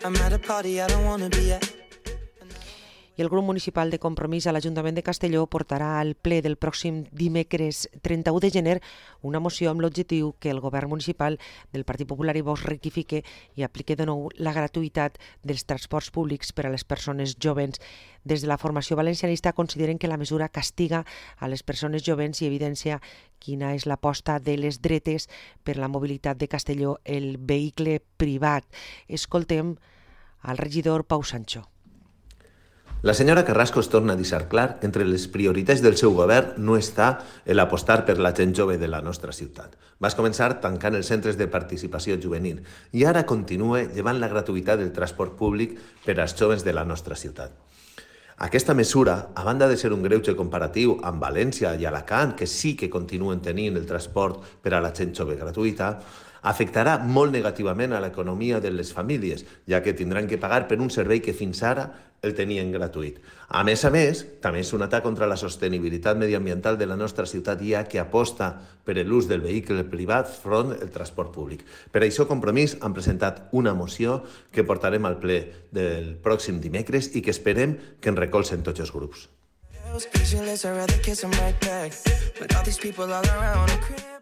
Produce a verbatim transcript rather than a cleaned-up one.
I'm at a party I don't wanna be at. I el grup municipal de Compromís a l'Ajuntament de Castelló portarà al ple del pròxim dimecres trenta-u de gener una moció amb l'objectiu que el govern municipal del Partit Popular i Vox rectifique i aplique de nou la gratuïtat dels transports públics per a les persones jovens. Des de la formació valencianista consideren que la mesura castiga a les persones jovens i evidencia quina és l'aposta de les dretes per la mobilitat de Castelló, el vehicle privat. Escoltem al regidor Pau Sancho. La senyora Carrasco es torna a deixar clar que entre les prioritats del seu govern no està l'apostar per la gent jove de la nostra ciutat. Vas començar tancant els centres de participació juvenil i ara continua llevant la gratuïtat del transport públic per als joves de la nostra ciutat. Aquesta mesura, a banda de ser un greuge comparatiu amb València i Alacant, que sí que continuen tenint el transport per a la gent jove gratuïta, afectarà molt negativament a l'economia de les famílies, ja que tindran que pagar per un servei que fins ara el tenien gratuït. A més a més, també és un atac contra la sostenibilitat mediambiental de la nostra ciutat, ja que aposta per l'ús del vehicle privat front al transport públic. Per això, Compromís han presentat una moció que portarem al ple del pròxim dimecres i que esperem que en recolzen tots els grups.